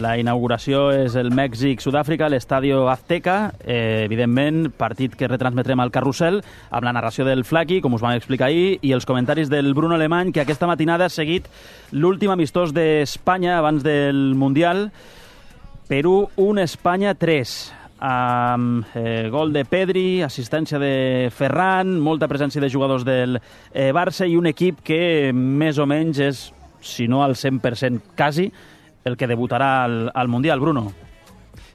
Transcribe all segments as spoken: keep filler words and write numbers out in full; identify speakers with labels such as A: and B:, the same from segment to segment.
A: La inauguració és el Mèxic-Sud-àfrica, l'Estadio Azteca, eh, evidentment, partit que retransmetrem al Carrusel, amb la narració del Flaqui, com us vam explicar ahir, i els comentaris del Bruno Alemany, que aquesta matinada ha seguit l'últim amistós d'Espanya abans del Mundial. Perú un, Espanya tres, amb eh, gol de Pedri, assistència de Ferran, molta presència de jugadors del eh, Barça i un equip que més o menys és, si no al cent per cent quasi, el que debutarà al, al Mundial, Bruno.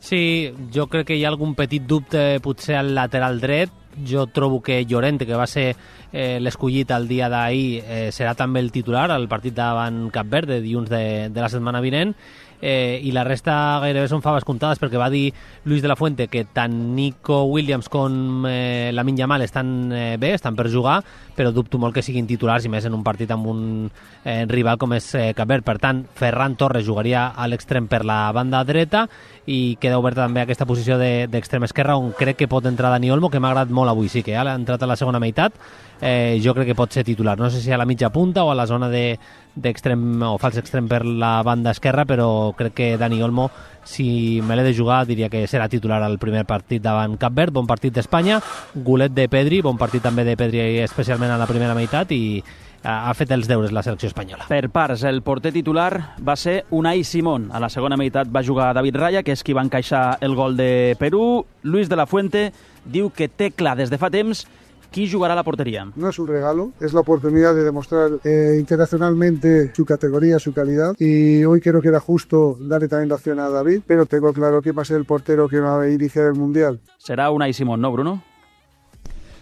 B: Sí, jo crec que hi ha algun petit dubte potser al lateral dret. Jo trobo que Llorente, que va ser eh, l'escollit el dia d'ahir, eh, serà també el titular al partit davant Cap Verde, dilluns de, de la setmana vinent. Eh, i la resta gairebé són faves comptades, perquè va dir Luis de la Fuente que tant Nico Williams com eh, Lamine Yamal estan eh, bé, estan per jugar, però dubto molt que siguin titulars, i més en un partit amb un eh, rival com és eh, Cap Verd. Per tant, Ferran Torres jugaria a l'extrem per la banda dreta, i queda oberta també aquesta posició d'extrem de, esquerra, on crec que pot entrar Dani Olmo, que m'ha agradat molt avui, sí que ha entrat a la segona meitat. Eh, jo crec que pot ser titular, no sé si a la mitja punta o a la zona de d'extrem o fals extrem per la banda esquerra, però crec que Dani Olmo, si me l'he de jugar, diria que serà titular al primer partit davant Cap Verd. Bon partit d'Espanya, golet de Pedri, bon partit també de Pedri especialment a la primera meitat, i ha fet els deures la selecció espanyola.
A: Per parts, el porter titular va ser Unai Simón. A la segona meitat va jugar David Raya, que és qui va encaixar el gol de Perú. Luis de la Fuente diu que té clar des de fa temps qui jugará la portería.
C: No es un regalo, es la oportunidad de demostrar eh, internacionalmente su categoría, su calidad, y hoy creo que era justo darle también la opción a David, pero tengo claro que va a ser el portero que va a iniciar el Mundial.
A: Serà Unai Simón, ¿no, Bruno?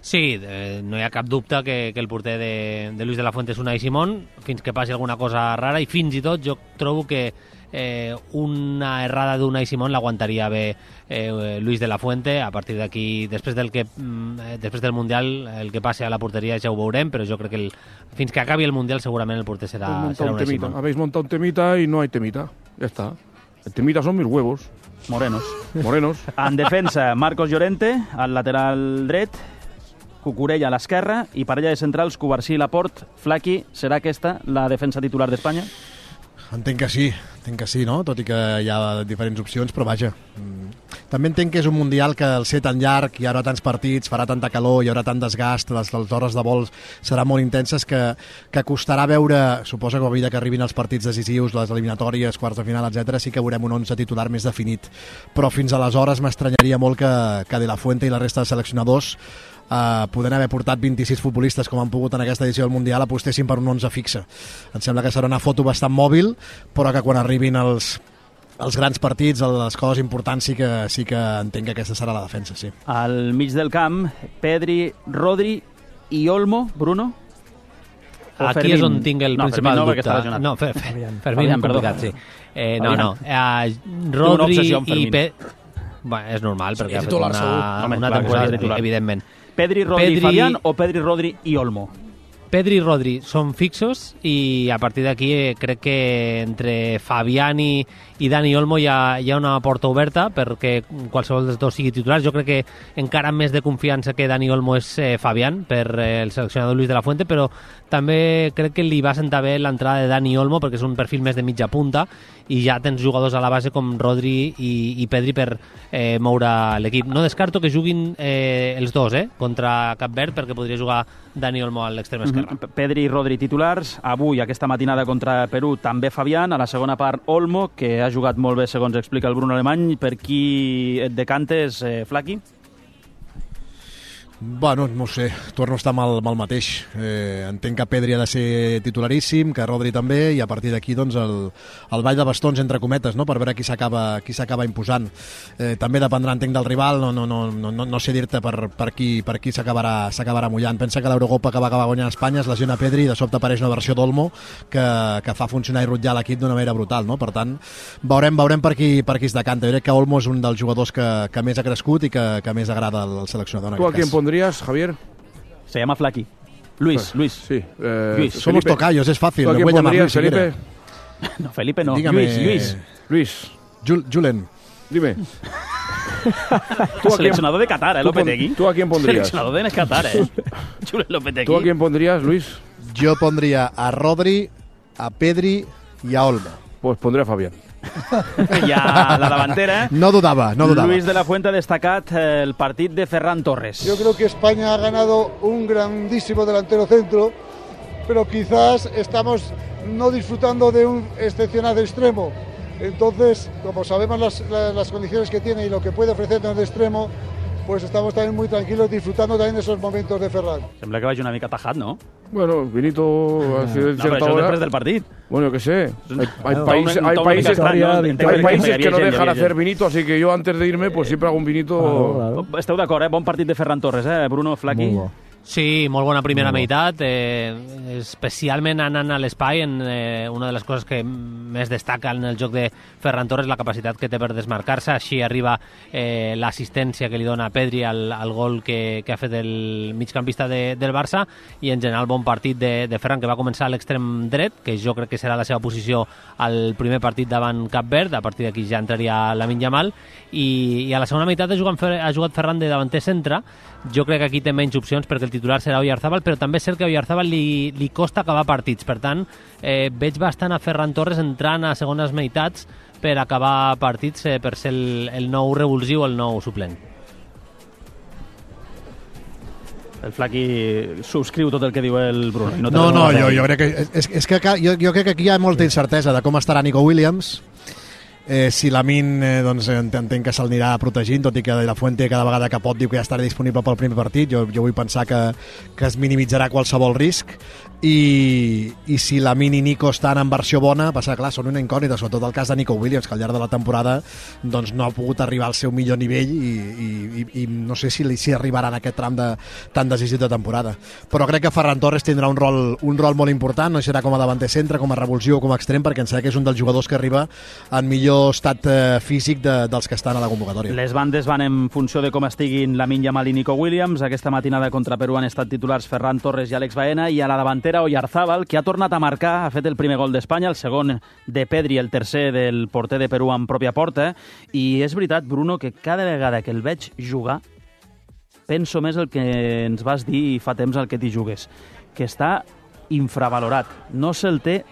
B: Sí, eh, no hi ha cap dubte que, que el porter de, de Luis de la Fuente és Unai Simón, fins que passi alguna cosa rara, i fins i tot jo trobo que eh, una errada d'Unai Simón l'aguantaria bé eh, Luis de la Fuente. A partir d'aquí, després del que eh, després del Mundial, el que passi a la porteria ja ho veurem, però jo crec que el, fins que acabi el Mundial segurament el porter serà, serà Unai Simón.
D: Habéis montado un temita y no hay temita, ya está. El temita son mis huevos.
A: Morenos.
D: Morenos.
A: En defensa, Marcos Llorente, al lateral dret, Cucurella a l'esquerra, i parella de centrals, Cubarsí i Laporte. Flaqui, serà aquesta la defensa titular d'Espanya?
E: Entenc que sí, entenc que sí, no? Tot i que hi ha diferents opcions, però vaja. També entenc que és un Mundial que al ser tan llarg, hi haurà tants partits, farà tanta calor, hi haurà tant desgast, les, les hores de vol seran molt intenses, que, que costarà veure, suposa que a mesura que arribin els partits decisius, les eliminatòries, quarts de final, etcètera, sí que veurem un onze titular més definit. Però fins aleshores m'estranyaria molt que, que De La Fuente i la resta de seleccionadors Uh, podent haver portat vint-i-sis futbolistes com han pogut en aquesta edició del Mundial, apostessin per un onze fixe. Em sembla que serà una foto bastant mòbil, però que quan arribin els, els grans partits, les coses importants, sí que, sí que entenc que aquesta serà la defensa, sí.
A: Al mig del camp, Pedri, Rodri i Olmo, Bruno?
B: O Aquí Fermín? És on tinc el no, principal
A: no,
B: dubte. No, Fer, Fer, Fermín, Fermín complicat, sí. Eh, no, no. Uh, Rodri i Pedri... Bueno, és normal, sí, perquè ha fet una, una temporada, evidentment.
A: Pedri, Rodri Pedri, i Fabián o Pedri, Rodri i Olmo?
B: Pedri i Rodri són fixos, i a partir d'aquí eh, crec que entre Fabián i, i Dani Olmo hi ha, hi ha una porta oberta perquè qualsevol dels dos sigui titular. Jo crec que encara més de confiança que Dani Olmo és eh, Fabián, per eh, el seleccionador Luis de la Fuente, però també crec que li va sentar bé l'entrada de Dani Olmo, perquè és un perfil més de mitja punta, i ja tens jugadors a la base com Rodri i, i Pedri per eh, moure l'equip. No descarto que juguin eh, els dos eh, contra Cap Verd, perquè podria jugar Dani Olmo a l'extrem esquerre.
A: Mm-hmm. Pedri i Rodri titulars. Avui, aquesta matinada contra Perú, també Fabián. A la segona part, Olmo, que ha jugat molt bé, segons explica el Bruno Alemany. Per qui et decantes, eh, Flaqui?
E: Bueno, no ho sé, torno a estar amb el, amb el mateix. Eh, entenc que Pedri ha de ser titularíssim, que Rodri també, i a partir d'aquí doncs, el, el ball de bastons, entre cometes, no? Per veure qui s'acaba qui s'acaba imposant. Eh, també dependrà, entenc, del rival, no, no, no, no, no sé dir-te per, per qui, per qui s'acabarà s'acabarà mullant. Pensa que l'Eurocopa que va acabar guanyant Espanya es lesiona Pedri i de sobte apareix una versió d'Olmo que, que fa funcionar i rutllar l'equip d'una manera brutal, no? Per tant, veurem, veurem per qui, per qui es decanta. Jo crec que Olmo és un dels jugadors que, que més ha crescut i que, que més agrada al seleccionador en aquest cas.
D: ¿Pondrías, Javier?
A: Se llama Flaqui. Luis, Luis.
D: Sí. Eh,
A: Luis.
E: Somos
D: Felipe.
E: tocayos, es fácil.
D: ¿Tú a quién pondrías, Felipe?
A: No, Felipe no.
E: Dígame,
A: Luis, Luis.
D: Luis.
E: Jul Julen.
D: Dime.
A: ¿Tú seleccionador de Qatar, ¿eh, Lopetegui?
D: ¿Tú a quién pondrías?
A: Seleccionador de Qatar, ¿eh? Julen Lopetegui.
D: ¿Tú a quién pondrías, Luis?
E: Yo pondría a Rodri, a Pedri y a Olmo.
D: Pues pondría a Fabián.
A: I a la davantera...
E: No dudava, no dudava.
A: Luis de la Fuente ha destacat el partit de Ferran Torres.
C: Yo creo que España ha ganado un grandísimo delantero centro, pero quizás estamos no disfrutando de un excepcional extremo. Entonces, como sabemos las, las, las condiciones que tiene y lo que puede ofrecernos de extremo, pues estamos también muy tranquilos disfrutando también de esos momentos de Ferran.
A: Sembla que vagi una mica tajat, ¿no?
D: Bueno, Vinito...
A: No, però això és després del partit.
D: Bueno, que sé. Hay, hay,
A: No,
D: país,
A: un- un
D: hay
A: tono
D: países,
A: extraño,
D: hay
A: entenc
D: países
A: que
D: que no
A: havia gent,
D: dejan
A: havia
D: hacer
A: gent.
D: vinito, así que yo antes de irme, pues siempre hago un vinito...
F: Claro, claro.
A: Esteu d'acord, eh? Bon partit de Ferran Torres, eh? Bruno Flaqui.
F: Molt bo.
B: Sí, molt bona primera
F: Molt bo.
B: meitat, eh, especialment anant a l'espai, en eh, una de les coses que més destaca en el joc de Ferran Torres, la capacitat que té per desmarcar-se, així arriba eh, l'assistència que li dona a Pedri al, al gol que, que ha fet el migcampista de, del Barça, i en general bon partit de, de Ferran, que va començar a l'extrem dret, que jo crec que serà la seva posició al primer partit davant Cap Verd, a partir d'aquí ja entraria Lamine Yamal, i, i a la segona meitat ha jugat, ha jugat Ferran de davanter centre. Jo crec que aquí té menys opcions perquè el titular serà Oyarzabal, però també és cert que a Oyarzabal li, li costa acabar partits. Per tant, eh, veig bastant a Ferran Torres entrant a segones meitats per acabar partits, eh, per ser el, el nou revulsiu, el nou suplent.
A: El Flaqui subscriu tot el que diu el Bruno.
E: No, no, no jo, jo crec que, és, és que jo, jo crec que aquí hi ha molta incertesa de com estarà Nico Williams. Eh, si Lamine, eh, doncs, entenc que se'l anirà protegint, tot i que de la Fuente cada vegada que pot diu que ja estarà disponible pel primer partit. Jo, jo vull pensar que, que es minimitzarà qualsevol risc, i, i si Lamine i Nico estan en versió bona, passa, clar, són una incògnita, sobretot el cas de Nico Williams, que al llarg de la temporada doncs, no ha pogut arribar al seu millor nivell, i, i, i, i no sé si, si arribarà en aquest tram de, tan decisiu de temporada. Però crec que Ferran Torres tindrà un rol, un rol molt important, no serà com a davanter centre, com a revulsiu o com a extrem, perquè em sembla que és un dels jugadors que arriba en millor estat eh, físic de, dels que estan a la convocatòria.
A: Les bandes van en funció de com estiguin Lamine Yamal i Nico Williams. Aquesta matinada contra Perú han estat titulars Ferran Torres i Àlex Baena, i a la davantera Oyarzabal, que ha tornat a marcar, ha fet el primer gol d'Espanya, el segon de Pedri, el tercer del porter de Perú en pròpia porta. I és veritat, Bruno, que cada vegada que el veig jugar penso més el que ens vas dir fa temps al que t'hi jugues, que està infravalorat. No se'l té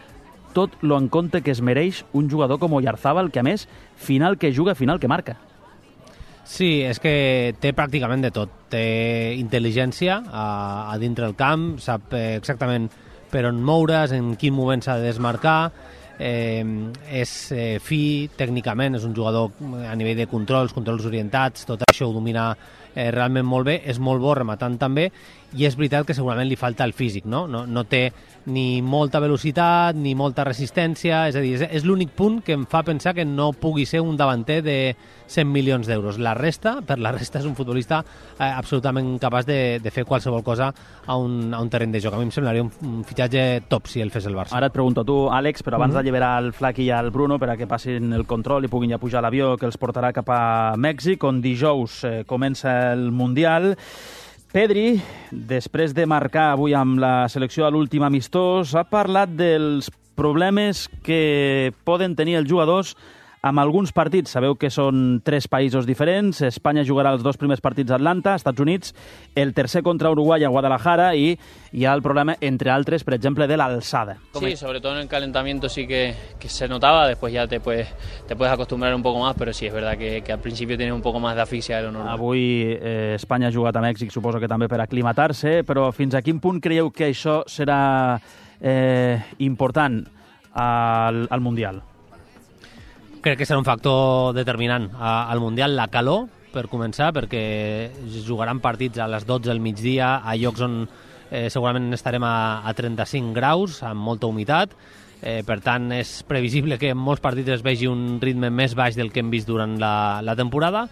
A: tot lo en compte que es mereix un jugador com Oyarzabal, que a més, final que juga, final que marca.
B: Sí, és que té pràcticament de tot. Té intel·ligència a, a dintre del camp, sap eh, exactament per on moure's, en quin moment s'ha de desmarcar, eh, és eh, fi tècnicament, és un jugador a nivell de controls, controls orientats, tot això ho domina eh, realment molt bé, és molt bo rematant també, i és veritat que segurament li falta el físic, no? No, no té ni molta velocitat ni molta resistència, és a dir, és, és l'únic punt que em fa pensar que no pugui ser un davanter de cent milions d'euros. La resta, per la resta, és un futbolista eh, absolutament capaç de, de fer qualsevol cosa a un, a un terreny de joc. A mi em semblaria un, un fitxatge top si el fes el Barça.
A: Ara et pregunto tu, Àlex, però abans mm -hmm. d'alliberar el Flaqui i el Bruno per a que passin el control i puguin ja pujar a l'avió que els portarà cap a Mèxic, on dijous eh, comença el Mundial. Pedri, després de marcar avui amb la selecció a l'últim amistós, ha parlat dels problemes que poden tenir els jugadors amb alguns partits. Sabeu que són tres països diferents. Espanya jugarà els dos primers partits a Atlanta, Estats Units, el tercer contra Uruguai a Guadalajara, i hi ha el problema, entre altres, per exemple, de l'alçada.
G: Sí, sobre todo en el calentamiento sí que, que se notaba, después ya te puedes, te puedes acostumbrar un poco más, pero sí es verdad que, que al principio tienes un poco más de asfixia de lo normal.
A: Avui eh, Espanya ha jugat a Mèxic, suposo que també per aclimatar-se, però fins a quin punt creieu que això serà eh, important al, al Mundial?
B: Crec que serà un factor determinant al Mundial, la calor, per començar, perquè jugaran partits a les dotze del migdia a llocs on eh, segurament estarem a, a trenta-cinc graus, amb molta humitat. Eh, per tant, és previsible que en molts partits es vegi un ritme més baix del que hem vist durant la, la temporada.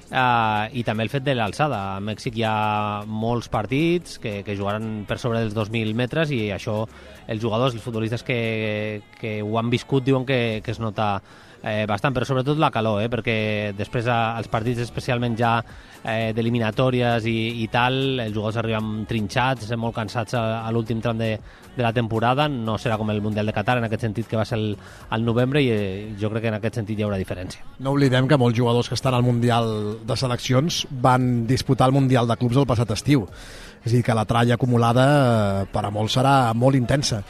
B: Uh, i també el fet de l'alçada. A Mèxic hi ha molts partits que, que jugaran per sobre dels dos mil metres, i això els jugadors, els futbolistes que, que ho han viscut diuen que, que es nota eh, bastant, però sobretot la calor, eh, perquè després a, als partits especialment ja eh, d'eliminatòries i, i tal, els jugadors arriben trinxats, molt cansats a, a l'últim tram de, de la temporada. No serà com el Mundial de Qatar en aquest sentit, que va ser el, el novembre, i eh, jo crec que en aquest sentit hi haurà diferència.
E: No oblidem que molts jugadors que estan al Mundial de seleccions van disputar el Mundial de Clubs el passat estiu. És a dir, que la tralla acumulada per a molts serà molt intensa.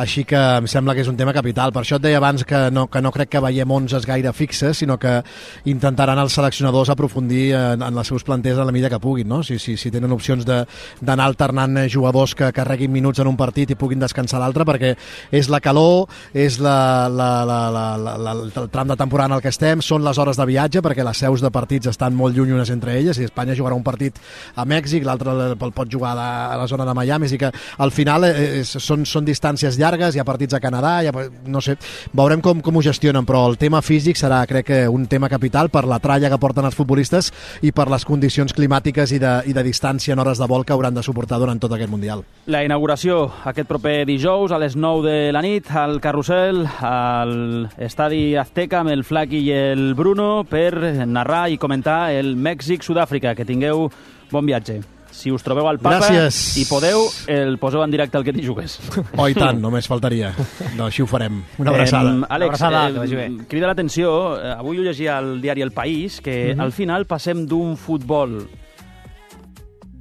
E: Així que em sembla que és un tema capital. Per això et deia abans que no, que no crec que veiem onzes gaire fixes, sinó que intentaran els seleccionadors aprofundir en, en les seus planters a la mida que puguin, no? Si, si, si tenen opcions d'anar alternant jugadors que carreguin minuts en un partit i puguin descansar l'altre, perquè és la calor, és la, la, la, la, la, la, el tram de temporada en el que estem, són les hores de viatge, perquè les seus de partits estan molt lluny unes entre elles, i Espanya jugarà un partit a Mèxic, l'altre el pot jugar a la zona de Miami, és que al final és, són, són distàncies llargues, hi ha partits a Canadà, ha, no sé, veurem com, com ho gestionen, però el tema físic serà, crec que, un tema capital per la tralla que porten els futbolistes i per les condicions climàtiques i de, i de distància en hores de vol que hauran de suportar durant tot aquest Mundial.
A: La inauguració aquest proper dijous a les nou de la nit al Carrusel, al Estadi Azteca amb el Flaqui i el Bruno per narrar i comentar el Mèxic-Sud-àfrica. Que tingueu bon viatge. Si us trobeu al Papa
E: Gràcies.
A: i podeu, el poseu en directe al que t'hi jugues.
E: Oh, i tant, només faltaria. No, així ho farem. Una abraçada.
A: Eh, Àlex,
B: Una abraçada, que vagi bé.
A: eh, crida l'atenció, eh, avui ho llegia al diari El País, que uh-huh. al final passem d'un futbol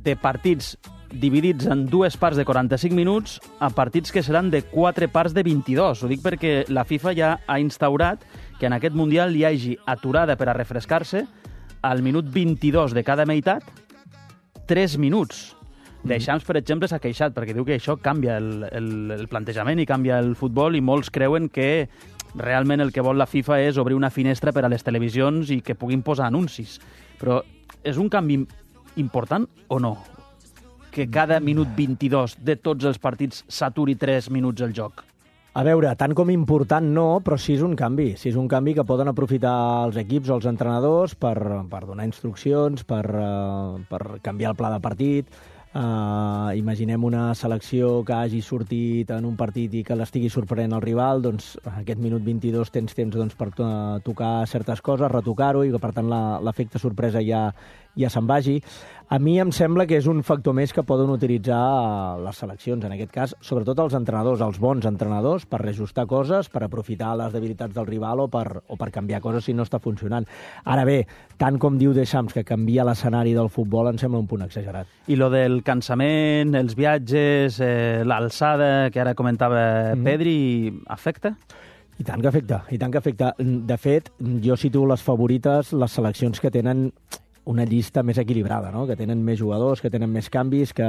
A: de partits dividits en dues parts de quaranta-cinc minuts a partits que seran de quatre parts de vint-i-dos. Ho dic perquè la FIFA ja ha instaurat que en aquest Mundial hi hagi aturada per a refrescar-se al minut vint-i-dos de cada meitat, tres minuts. Deschamps, per exemple, s'ha queixat perquè diu que això canvia el, el, el plantejament i canvia el futbol, i molts creuen que realment el que vol la FIFA és obrir una finestra per a les televisions i que puguin posar anuncis. Però és un canvi important o no? Que cada minut vint-i-dos de tots els partits s'aturi tres minuts el joc?
F: A veure, tant com important no, però sí és un canvi. Sí és un canvi que poden aprofitar els equips o els entrenadors per, per donar instruccions, per, uh, per canviar el pla de partit. Uh, imaginem una selecció que hagi sortit en un partit i que l'estigui sorprenent el rival, doncs aquest minut vint-i-dos tens temps doncs, per uh, tocar certes coses, retocar-ho, i que per tant l'efecte sorpresa ja, ja se'n vagi. A mi em sembla que és un factor més que poden utilitzar les seleccions, en aquest cas, sobretot els entrenadors, els bons entrenadors, per reajustar coses, per aprofitar les debilitats del rival o per, o per canviar coses si no està funcionant. Ara bé, tant com diu Deschamps que canvia l'escenari del futbol, em sembla un punt exagerat.
A: I lo del cansament, els viatges, eh, l'alçada, que ara comentava mm-hmm. Pedri, afecta?
F: I tant que afecta, i tant que afecta. De fet, jo situo les favorites, les seleccions que tenen una llista més equilibrada, no? Que tenen més jugadors, que tenen més canvis, que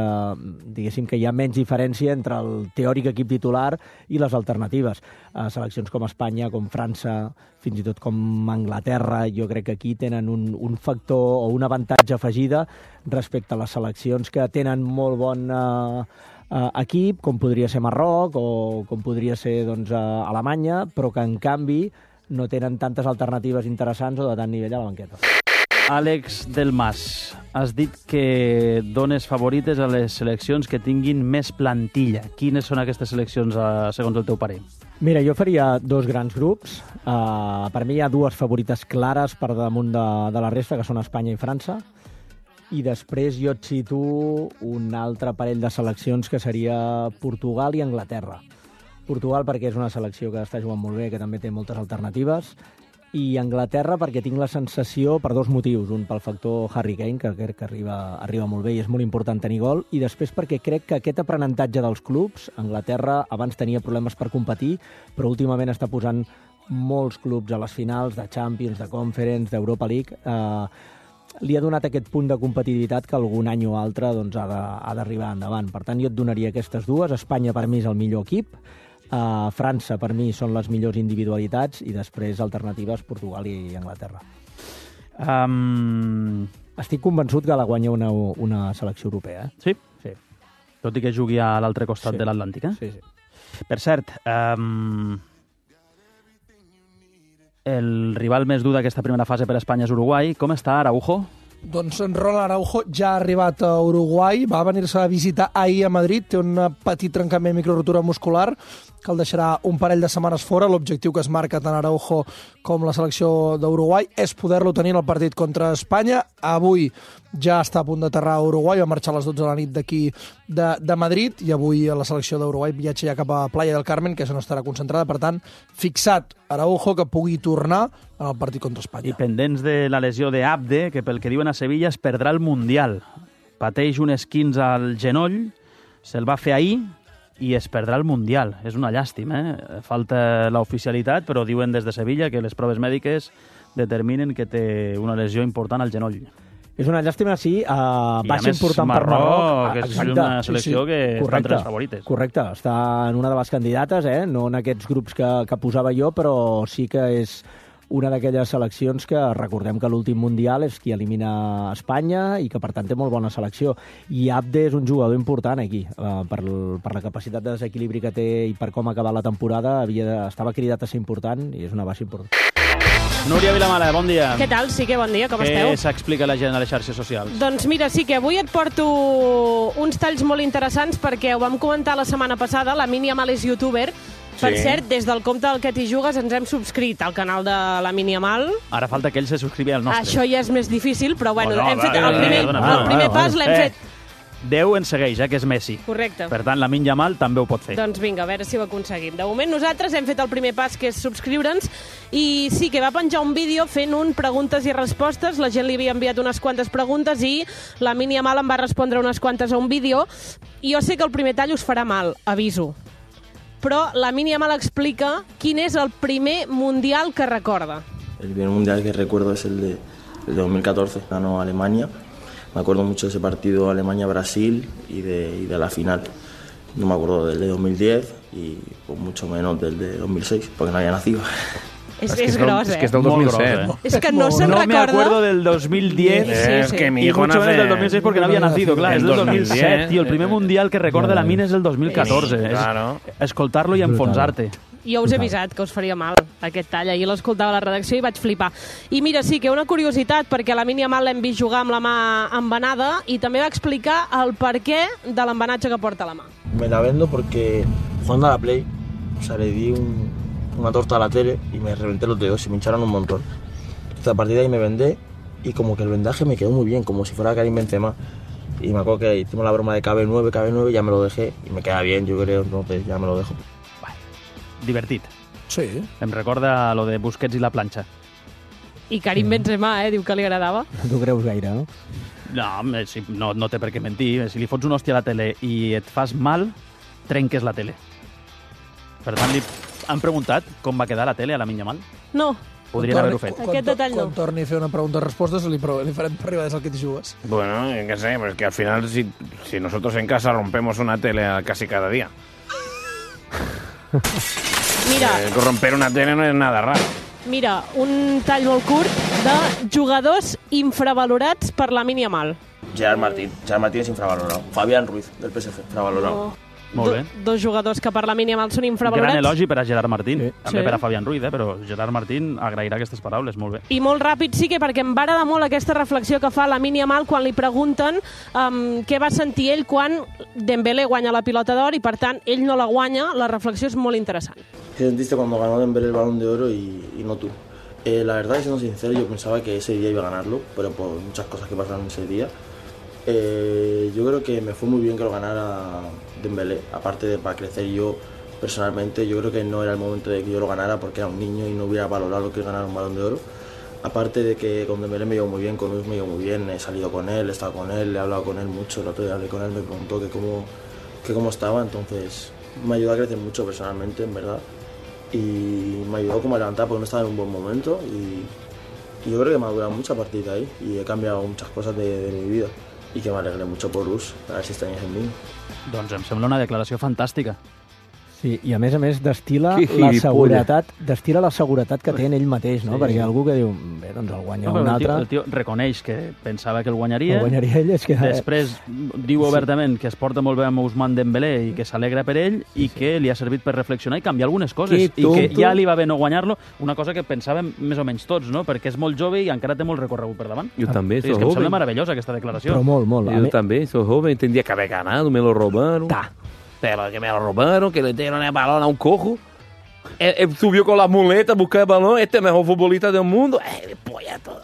F: diguéssim que hi ha menys diferència entre el teòric equip titular i les alternatives. Uh, seleccions com Espanya, com França, fins i tot com Anglaterra, jo crec que aquí tenen un, un factor o un avantatge afegida respecte a les seleccions que tenen molt bon uh, uh, equip, com podria ser Marroc o com podria ser doncs, uh, Alemanya, però que en canvi no tenen tantes alternatives interessants o de tant nivell a la banqueta.
A: Àlex del Mas, has dit que dones favorites a les seleccions que tinguin més plantilla. Quines són aquestes seleccions, segons el teu parer?
F: Mira, jo faria dos grans grups. Uh, per mi hi ha dues favorites clares per damunt de, de la resta, que són Espanya i França. I després jo et situo un altre parell de seleccions que seria Portugal i Anglaterra. Portugal perquè és una selecció que està jugant molt bé, que també té moltes alternatives, i Anglaterra perquè tinc la sensació, per dos motius, un pel factor Harry Kane, que crec que arriba, arriba molt bé i és molt important tenir gol, i després perquè crec que aquest aprenentatge dels clubs, Anglaterra abans tenia problemes per competir, però últimament està posant molts clubs a les finals de Champions, de Conference, d'Europa League, eh, li ha donat aquest punt de competitivitat que algun any o altre doncs, ha d'arribar endavant. Per tant, jo et donaria aquestes dues. Espanya per mi és el millor equip, Uh, França, per mi, són les millors individualitats, i després alternatives Portugal i Anglaterra.
A: Um...
F: Estic convençut que la guanya una, una selecció europea. Eh?
A: Sí?
F: Sí.
A: Tot i que jugui a l'altre costat
F: sí.
A: de l'Atlàntic, eh?
F: Sí, sí.
A: Per cert, um... el rival més dur d'aquesta primera fase per a Espanya és Uruguai. Com està Araujo?
H: Doncs Ronald Araujo ja ha arribat a Uruguai, va venir-se a visitar ahir a Madrid, té un petit trencament microrotura muscular que el deixarà un parell de setmanes fora. L'objectiu que es marca tant Araujo com la selecció d'Uruguai és poder-lo tenir en el partit contra Espanya. Avui ja està a punt d'aterrar a Uruguai, va marxar a les dotze de la nit d'aquí de, de Madrid, i avui la selecció d'Uruguai viatja ja cap a Playa del Carmen, que és on estarà concentrada. Per tant, fixat Araujo, que pugui tornar en el partit contra Espanya.
A: I pendents de la lesió d'Abde, que pel que diuen a Sevilla es perdrà el Mundial. Pateix un esquins al genoll, se'l va fer ahir i es perdrà el Mundial. És una llàstima, eh? Falta l'oficialitat, però diuen des de Sevilla que les proves mèdiques determinen que té una lesió important al genoll.
F: És una llàstima, sí, uh, baixa important per Marroc.
A: Que és una selecció sí, sí. que
F: Correcte.
A: està entre les favorites.
F: Correcte, està en una de les candidates, eh? No en aquests grups que, que posava jo, però sí que és una d'aquelles seleccions que recordem que l'últim Mundial és qui elimina Espanya i que, per tant, té molt bona selecció. I Abde és un jugador important aquí. Uh, per, per la capacitat de desequilibri que té i per com ha acabat la temporada, havia de, estava cridat a ser important i és una baixa important.
A: Núria Vilamala, bon dia.
I: Què tal? Sí que bon dia, com
A: Què
I: esteu?
A: Què s'explica la gent a les xarxes socials?
I: Doncs mira, sí que avui et porto uns talls molt interessants perquè ho vam comentar la setmana passada, la Mini Amal és youtuber. Per
J: Sí.
I: cert, des del compte del Que t'hi jugues ens hem subscrit al canal de la Mini Amal.
A: Ara falta que ell se subscrivi al nostre.
I: Això ja és més difícil, però bueno,
A: Oh, no,
I: hem fet
A: va,
I: el primer,
A: perdona,
I: el
A: perdona,
I: primer
A: perdona.
I: pas l'hem
A: Eh.
I: fet.
A: Déu ens segueix, eh, que és Messi.
I: Correcte.
A: Per tant, la Min Yamal també ho pot fer.
I: Doncs vinga, a veure si ho aconseguim. De moment nosaltres hem fet el primer pas, que és subscriure'ns, i sí que va penjar un vídeo fent un preguntes i respostes. La gent li havia enviat unes quantes preguntes i la Mini Amal em va respondre unes quantes a un vídeo. I jo sé que el primer tall us farà mal, aviso. Però la Mini Amal explica quin és el primer Mundial que recorda.
J: El primer mundial que recuerdo es el de, el de dos mil catorce, ganó Alemania. Me acuerdo mucho de ese partido Alemania-Brasil y de, y de la final. No me acuerdo del de dos mil diez y pues, mucho menos del de dos mil seis, porque no había nacido.
I: És, és, és gros, eh?
D: És que és del dos mil set.
A: Gros,
I: És que no se'n
A: no
I: recorda.
A: me acuerdo del dos mil diez.
I: Sí, sí,
D: Es
I: sí.
D: que mi
A: Y
D: hijo
A: mucho
D: nace...
A: menos del dos mil seis porque no había nacido, clar, és del dos mil set, tio. El primer mundial que recorda la Mina és el dos mil catorze.
D: Sí,
A: És
D: claro.
A: escoltar-lo i enfonsar-te.
I: Jo us he avisat que us faria mal aquest tall. Ahir l'escoltava a la redacció i vaig flipar. I mira, sí que una curiositat, perquè la Mini Amal l'hem vist jugar amb la mà embenada i també va explicar el perquè de l'embenatge que porta a la mà.
J: Me la vendo porque jugando a la Play, o sea, le di un, una torta a la tele y me reventé los dedos y me hincharon un montón. Entonces, a partir de ahí me vendé y como que el vendaje me quedó muy bien, como si fuera Karim Benzema. Y me acuerdo que hicimos la broma de K B nueve, K B nueve, ya me lo dejé y me queda bien, yo creo, entonces ya me lo dejo.
A: Divertit.
H: Sí.
A: Em recorda lo de Busquets i la planxa.
I: I Karim Benzema, eh, diu que li agradava.
F: No t'ho creus gaire, no?
A: No, eh, si, no, no té per què mentir. Si li fots una hòstia a la tele i et fas mal, trenques la tele. Per tant, li han preguntat com va quedar la tele a la Min Yamal.
I: No,
A: Podrien haver-ho fet.
H: Quan,
I: Aquest detall no.
H: Quan torni a fer una pregunta i respostes, li, pro- li farem per arribar des del Que t'hi jugues.
D: Bueno, qué sé, pues que al final si, si nosotros en casa rompemos una tele casi cada día.
I: Mira,
D: Eh, romper una tele no es nada raro.
I: mira, un tall molt curt de jugadors infravalorats per la Mini Amal.
J: Gerard Martín, Gerard Martín es infravalorado. Fabián Ruiz, del P S G, infravalorado.
A: Molt bé.
I: Do, dos jugadors que per la Mini Amal són
A: Gran
I: infravalorats.
A: elogi per a Gerard Martín.
F: Sí.
A: També
I: Sí.
A: per a Fabián Ruiz, eh? Però Gerard Martín agrairà aquestes paraules. Molt bé.
I: I molt ràpid sí que perquè em va agradar molt aquesta reflexió que fa la Mini Amal quan li pregunten um, què va sentir ell quan Dembélé guanya la pilota d'or i per tant ell no la guanya. La reflexió és molt interessant.
J: ¿Qué sentiste cuando ganó Dembélé el Balón de Oro y, y no tú? Eh, la verdad, siendo sincero, yo pensaba que ese día iba a ganarlo, pero por muchas cosas que pasaron ese día. Eh, yo creo que me fue muy bien que lo ganara Dembélé, aparte de para crecer yo personalmente. Yo creo que no era el momento de que yo lo ganara porque era un niño y no hubiera valorado lo que es ganar un Balón de Oro. Aparte de que con Dembélé me llevo muy bien, con Luis me llevo muy bien, he salido con él, he estado con él, he hablado con él mucho, el otro día hablé con él, me preguntó que cómo, que cómo estaba, entonces me ayudó a crecer mucho personalmente, en verdad. Y me ayudó como a levantar porque no estaba en un buen momento y, y yo creo que me ha durado mucho a partir de ahí y he cambiado muchas cosas de, de mi vida y que me alegré mucho por Us, a ver si extrañas en mí.
A: Doncs em sembla una declaració fantàstica.
F: Sí, i a més a més destila
A: Que
F: la
A: gilipolles.
F: seguretat, destila la seguretat que té en ell mateix, no?
A: Sí.
F: Perquè algú que diu, bé, doncs el guanya
A: No,
F: un
A: però el, tio,
F: altre,
A: el tio reconeix que pensava que el guanyaria.
F: el guanyaria ell, és que...
A: Després diu obertament que es porta molt bé amb Ousmane Dembélé i que s'alegra per ell i que li ha servit per reflexionar i canviar algunes coses.
F: Que
A: I que
F: tonto.
A: ja li va bé no guanyar-lo, una cosa que pensàvem més o menys tots, no? Perquè és molt jove i encara té molt recorregut per davant.
K: Yo también
A: Sí,
K: soy
A: és que em
K: joven.
A: sembla meravellosa aquesta declaració.
F: Però molt, molt. A
K: Yo
F: mi-
K: también soy joven, tendría que haber ganado, me lo robaron.
F: Ta.
K: Pero que me lo robaron, que le dieron el balón a un cojo. Él, él subió con las muletas a buscar el balón, este es el mejor futbolista del mundo. Eh, polla todo.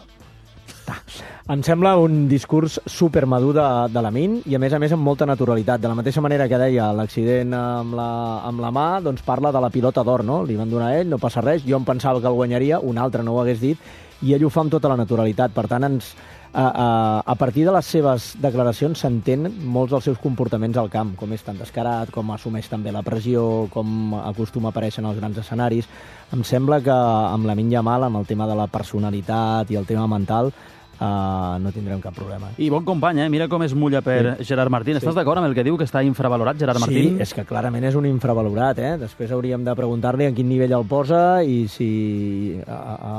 F: Em sembla un discurs supermadur de, de Lamine i, a més a més, amb molta naturalitat. De la mateixa manera que deia l'accident amb la, amb la mà, doncs parla de la pilota d'or, no? Li van donar a ell, no passa res, jo em pensava que el guanyaria, un altre no ho hagués dit, i ell ho fa amb tota la naturalitat. Per tant, ens, a, a, a partir de les seves declaracions s'entén molts dels seus comportaments al camp, com és tan descarat, com assumeix també la pressió, com acostuma a aparèixer en els grans escenaris. Em sembla que amb Lamine Yamal, amb el tema de la personalitat i el tema mental, Uh, no tindrem cap problema.
A: I bon company, eh? Mira com es mulla per sí. Gerard Martín. Estàs sí. d'acord amb el que diu que està infravalorat Gerard Martín?
F: Sí, és que clarament és un infravalorat, eh? Després hauríem de preguntar-li en quin nivell el posa i si a, a,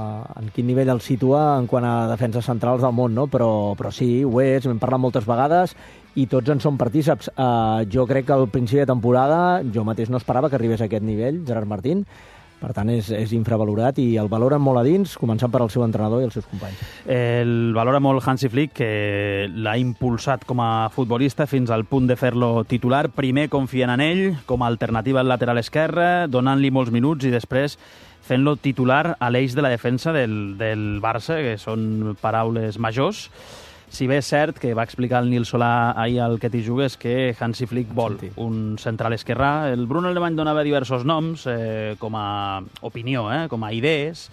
F: en quin nivell el situa en quant a defenses centrals del món, no? Però, però sí, ho és, hem parlat moltes vegades i tots en som partíceps. Uh, jo crec que al principi de temporada jo mateix no esperava que arribés a aquest nivell, Gerard Martín. Per tant, és, és infravalorat i el valoren molt a dins, començant per el seu entrenador i els seus companys.
A: El valora molt Hansi Flick, que l'ha impulsat com a futbolista fins al punt de fer-lo titular. Primer confiant en ell com a alternativa al lateral esquerre, donant-li molts minuts i després fent-lo titular a l'eix de la defensa del, del Barça, que són paraules majors. Si bé és cert que va explicar el Nil Solà ahir al Que t'hi jugues que Hansi Flick vol sí. un central esquerrà. El Bruno Alemany donava diversos noms eh, com a opinió, eh, com a idees.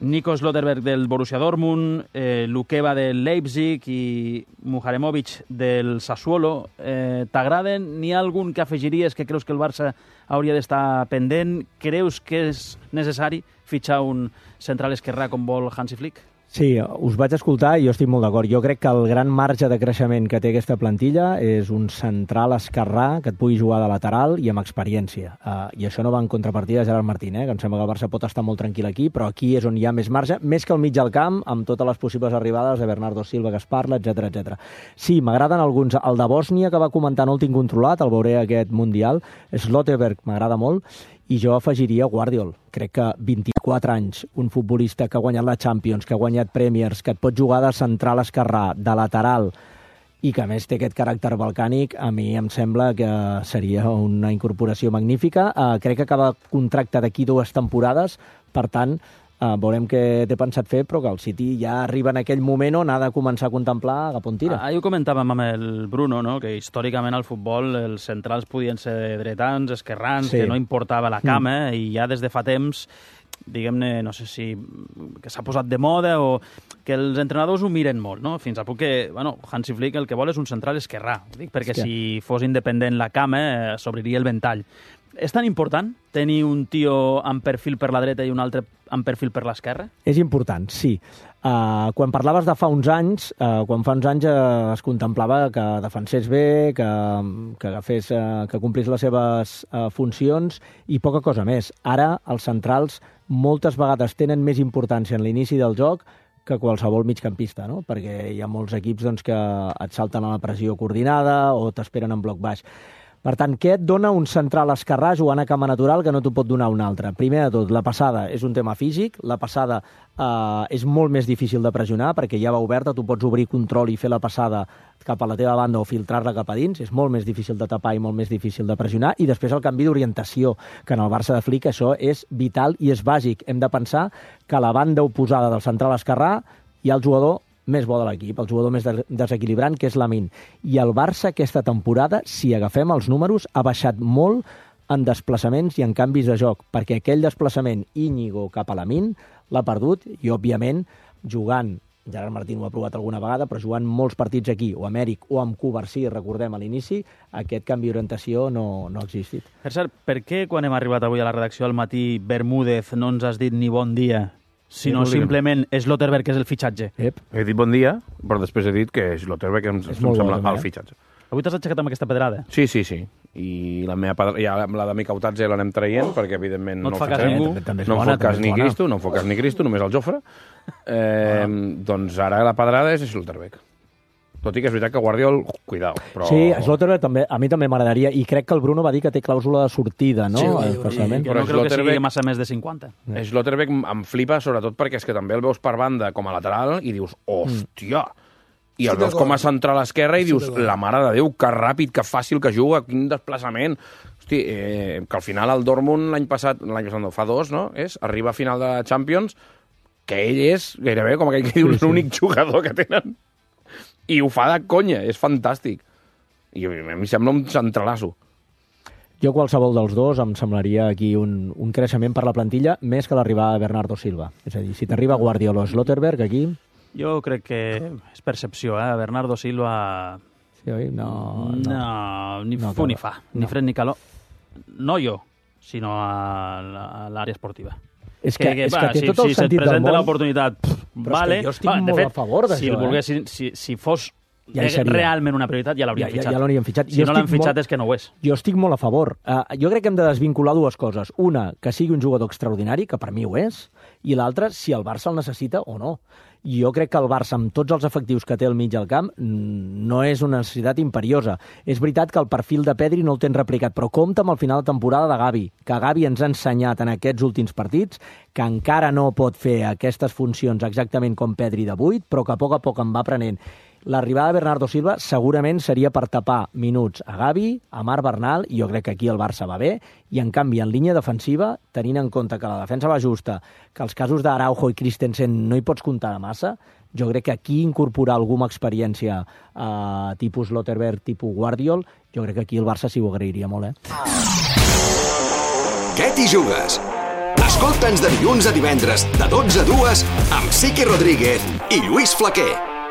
A: Nico Slotterberg del Borussia Dortmund, eh, Lukeba del Leipzig i Muharemovic del Sassuolo. Eh, T'agraden? N'hi ha algun que afegiries que creus que el Barça hauria d'estar pendent? Creus que és necessari fitxar un central esquerrà com vol Hansi Flick?
F: Sí, us vaig escoltar i jo estic molt d'acord. Jo crec que el gran marge de creixement que té aquesta plantilla és un central esquerrà que et pugui jugar de lateral i amb experiència. Uh, I això no va en contrapartida de Gerard Martín, eh? Que em sembla que el Barça pot estar molt tranquil aquí, però aquí és on hi ha més marge, més que al mig del camp, amb totes les possibles arribades de Bernardo Silva que es parla, etcètera etcètera. Sí, m'agraden alguns. El de Bòsnia, que va comentar, no el tinc controlat, el veuré aquest Mundial. Slotterberg m'agrada molt. I jo afegiria Guardiol. Crec que vint-i-quatre anys, un futbolista que ha guanyat la Champions, que ha guanyat Premiers, que et pot jugar de central esquerrà, de lateral, i que a més té aquest caràcter balcànic, a mi em sembla que seria una incorporació magnífica. Uh, crec que acaba contracte d'aquí dues temporades, per tant, Uh, veurem què té pensat fer, però que el City ja arriba en aquell moment on ha de començar a contemplar cap on tira.
A: Ah, ho comentàvem amb el Bruno, no? Que històricament al futbol els centrals podien ser dretans, esquerrans, sí. que no importava la cama, mm. i ja des de fa temps, diguem-ne, no sé si que s'ha posat de moda o que els entrenadors ho miren molt, no? Fins a punt que, bueno, Hansi Flick el que vol és un central esquerrà, dic, perquè és que... si fos independent la cama eh, s'obriria el ventall. És tan important tenir un tio amb perfil per la dreta i un altre amb perfil per l'esquerra?
F: És important, sí. Uh, quan parlaves de fa uns anys, uh, quan fa uns anys uh, es contemplava que defensés bé, que, que, agafés, uh, que complís les seves uh, funcions i poca cosa més. Ara els centrals moltes vegades tenen més importància en l'inici del joc que qualsevol migcampista, no? Perquè hi ha molts equips doncs, que et salten a la pressió coordinada o t'esperen en bloc baix. Per tant, què et dona un central esquerrà jugant a cama natural que no t'ho pot donar un altre? Primer de tot, la passada és un tema físic, la passada eh, és molt més difícil de pressionar perquè ja va oberta, tu pots obrir control i fer la passada cap a la teva banda o filtrar-la cap a dins, és molt més difícil de tapar i molt més difícil de pressionar, i després el canvi d'orientació, que en el Barça de Flick això és vital i és bàsic. Hem de pensar que a la banda oposada del central esquerrà hi ha el jugador més bo de l'equip, el jugador més desequilibrant, que és Lamine. I el Barça aquesta temporada, si agafem els números, ha baixat molt en desplaçaments i en canvis de joc, perquè aquell desplaçament Íñigo cap a Lamine l'ha perdut i, òbviament, jugant, Gerard Martín ho ha provat alguna vegada, però jugant molts partits aquí, o amb Eric o amb Covarsí, recordem a l'inici, aquest canvi d'orientació no, no ha existit.
A: Per cert, per què quan hem arribat avui a la redacció al matí, Bermúdez, no ens has dit ni bon dia, sinó sí, simplement Slotterberg, que és el fitxatge?
D: Ep. He dit bon dia, però després he dit que Slotterberg em, em sembla bo, el fitxatge.
A: Avui t'has aixecat amb aquesta pedrada?
D: Sí, sí, sí. I la meva pedra... ja, la de Micautadze l'anem traient, perquè evidentment
A: no,
D: no
A: el fa cas ningú.
D: No em fot cas ni Cristo, no em fot cas ni Cristo, només el Jofre. Eh, ah. Doncs ara la pedrada és Slotterberg. Tot i que és veritat que Guardiol, cuidao. Però...
F: Sí, Slotterberg també, a mi també m'agradaria, i crec que el Bruno va dir que té clàusula de sortida, no?
A: Sí, especialment. Jo no crec que sigui massa més de cinquanta.
D: Slotterberg em flipa, sobretot perquè és que també el veus per banda com a lateral i dius, hòstia! I el veus com a central esquerra i dius, la mare de Déu, que ràpid, que fàcil que juga, quin desplaçament. Hosti, eh, que al final el Dortmund l'any passat, l'any passat no, fa dos, no? És, arriba a final de Champions, que ell és gairebé, com aquell que diu, sí, sí. l'únic jugador que tenen. I ho fa de conya, és fantàstic. I a mi sembla un centralasso.
F: Jo qualsevol dels dos em semblaria aquí un, un creixement per la plantilla més que l'arribada de Bernardo Silva. És a dir, si t'arriba Guardiola o Slotterberg aquí...
A: Jo crec que és percepció, eh? Bernardo Silva...
F: Sí, oi? No, no.
A: No, ni
F: no,
A: fu ni fa.
F: No.
A: Ni fred ni calor. No jo, sinó a l'àrea esportiva.
F: És que, que, que, és va, que té
A: si,
F: tot el
A: si
F: sentit del món... Si
A: se't presenta l'oportunitat, vale.
F: Jo estic
A: va,
F: molt
A: fet,
F: a favor d'això,
A: si
F: eh?
A: Volgués, si, si fos
F: ja
A: realment una prioritat, ja l'hauríem
F: ja,
A: fitxat.
F: Ja, ja l'hauríem fitxat.
A: Si
F: jo
A: no l'han fitxat
F: molt,
A: és que no ho és.
F: Jo estic molt a favor. Uh, jo crec que hem de desvincular dues coses. Una, que sigui un jugador extraordinari, que per mi ho és, i l'altra, si el Barça el necessita o no. Jo crec que el Barça, amb tots els efectius que té al mig del camp, no és una necessitat imperiosa. És veritat que el perfil de Pedri no el tens replicat, però compta amb el final de temporada de Gavi, que Gavi ens ha ensenyat en aquests últims partits que encara no pot fer aquestes funcions exactament com Pedri de vuit, però que a poc a poc en va aprenent. L'arribada de Bernardo Silva segurament seria per tapar minuts a Gavi, a Marc Bernal, i jo crec que aquí el Barça va bé, i en canvi en línia defensiva, tenint en compte que la defensa va justa, que els casos d'Araujo i Christensen no hi pots comptar de massa, jo crec que aquí incorporar alguna experiència eh, tipus Slotterberg, tipus Guardiol, jo crec que aquí el Barça s'hi ho agrairia molt, eh?
L: Què t'hi jugues? Escolta'ns de dilluns a divendres, de dotze a dues, amb Siqui Rodríguez i Lluís Flaquer.